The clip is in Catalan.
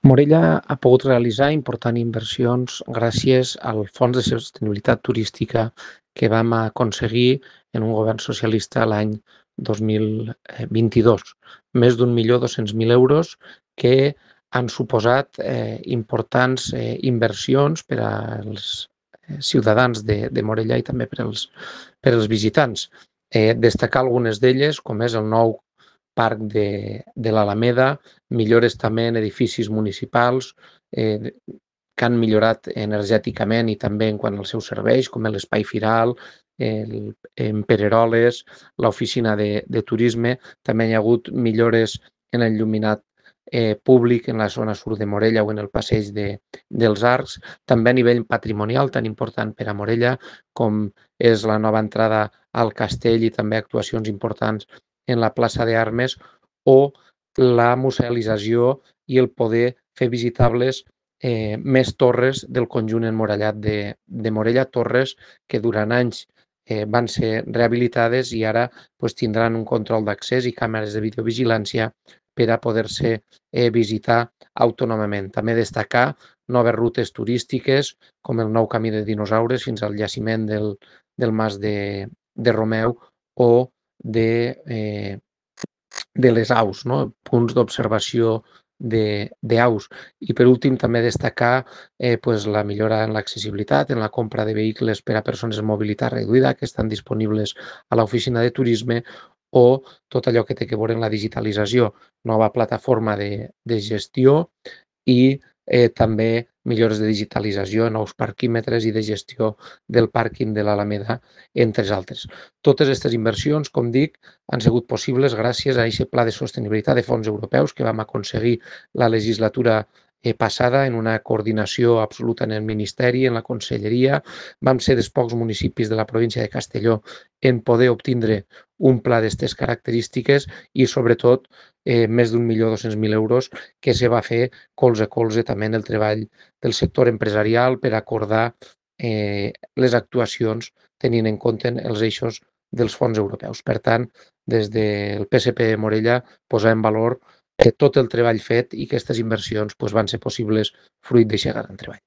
Morella ha pogut realitzar importants inversions gràcies al Fons de Sostenibilitat Turística que vam aconseguir en un govern socialista l'any 2022. Més d'1.200.000 euros que han suposat importants inversions per als ciutadans de Morella i també per als visitants. Destacar algunes d'elles, com és el nou parc de l'Alameda, millores també en edificis municipals que han millorat energèticament i també en quant als seus serveis, com l'Espai Firal, en Pereroles, l'oficina de turisme. També hi ha hagut millores en el il·luminat públic en la zona sud de Morella o en el passeig dels Arcs. També a nivell patrimonial tan important per a Morella com és la nova entrada al castell i també actuacions importants en la plaça d'Armes o la musealització i el poder fer visitables més torres del conjunt emmurallat de Morella, torres que durant anys van ser rehabilitades i ara tindran un control d'accés i càmeres de videovigilància per a poder-se visitar autònomament. També destacar noves rutes turístiques com el nou camí de dinosaures fins al jaciment del Mas de Romeu o de les aus, no? Punts d'observació d'aus. I per últim també destacar la millora en l'accessibilitat, en la compra de vehicles per a persones amb mobilitat reduïda que estan disponibles a l'oficina de turisme o tot allò que té a veure amb la digitalització, nova plataforma de gestió i també millores de digitalització, nous parquímetres i de gestió del pàrquing de l'Alameda, entre altres. Totes aquestes inversions, com dic, han sigut possibles gràcies a aquest pla de sostenibilitat de fons europeus que vam aconseguir la legislatura passada en una coordinació absoluta en el Ministeri, en la Conselleria. Vam ser dels pocs municipis de la província de Castelló en poder obtindre un pla d'aquestes característiques i, sobretot, més d'1.200.000 euros que se va fer colze a colze també en el treball del sector empresarial per acordar les actuacions tenint en compte els eixos dels fons europeus. Per tant, des del PSP Morella posar en valor tot el treball fet i que aquestes inversions van ser possibles fruit d'aquest gran treball.